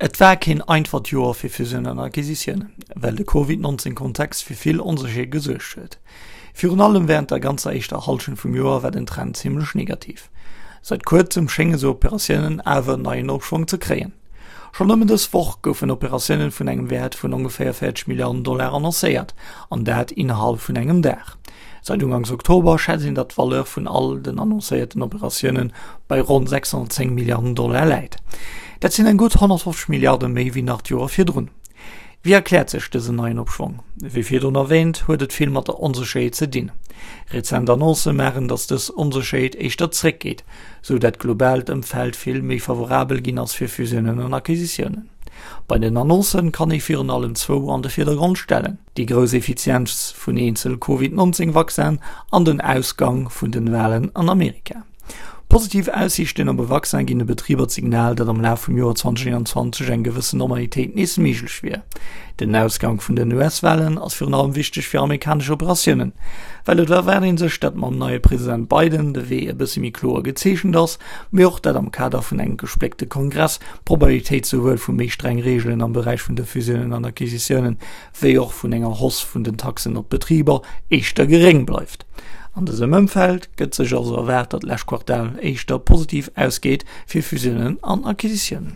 Et war keen einfacht Joer fir Fusiounen an Acquisitiounen, well de Covid 19 Kontext fir vill Onsécherheet gesuergt huet. Virun allem wärend der ganzer éischter Hallschent vum Joer war den Trend zimmlech negativ. Seit kuerzem schénge sou Operatiounen awer en neien Opschwong ze kréien. Schonn nëmmen dës Woch goufen Operatiounen vun engem Wäert vun ongeféier 40 Milliarden Dollar annoncéiert, an dat innerhalb vun engem Dag. Seit Uganks Oktober schätzt een, datt d'Valeur vun all den annoncéierten Operatioune bei ronn 610 Milliarden Dollar läit. Dat sinn eng gutt 150 Milliarde méi wéi nach d'Joer virdrun. Wéi erkläert sech dësen neien Opschwong? Wéi virdrun erwäänt, huet et vill mat der Onsécherheet ze dinn. Rezent Annoncë maachen, datt dës Onsécherheet éischter zréckgeet, sou dat globaalt Ëmfeld vill méi favorabel ginn ass fir Fusiounen an Acquisitiounen. Bei den Annoncë kann ee virun allem zwou an de Virdergrond stellen. Déi grouss Effizienz vun eenzel Covid 19 Vaccinen an den Ausgang vun den Walen an Amerika. Positiv Aussiichten op e Vaccin ginn de Betriber d'Signal, datt am Laf vum Joer 2021 eng gewëssen Normalitéit nees méiglech wier. Den Ausgang vun den US-Walen ass virun allem wichteg fir amerikanesch Operatiounen, well et erwaart ee sech, datt mam neie President Biden de Wee e bësse méi kloer gezeechent ass, mee och datt am Kader vun engem gespléckte Kongress d'Probabilitéit souwuel vu méi streng Reegelen am Beräich vun de Fusiounen an Acquisitiounen wéi och vun enger Hausse vun den Taxen op d'Betriber éischter geréng bleift. An dësem Ëmfeld gëtt sech also erwaart, datt d'lescht Quartal éischter positiv ausgeet fir Fusiounen an Acquisitiounen.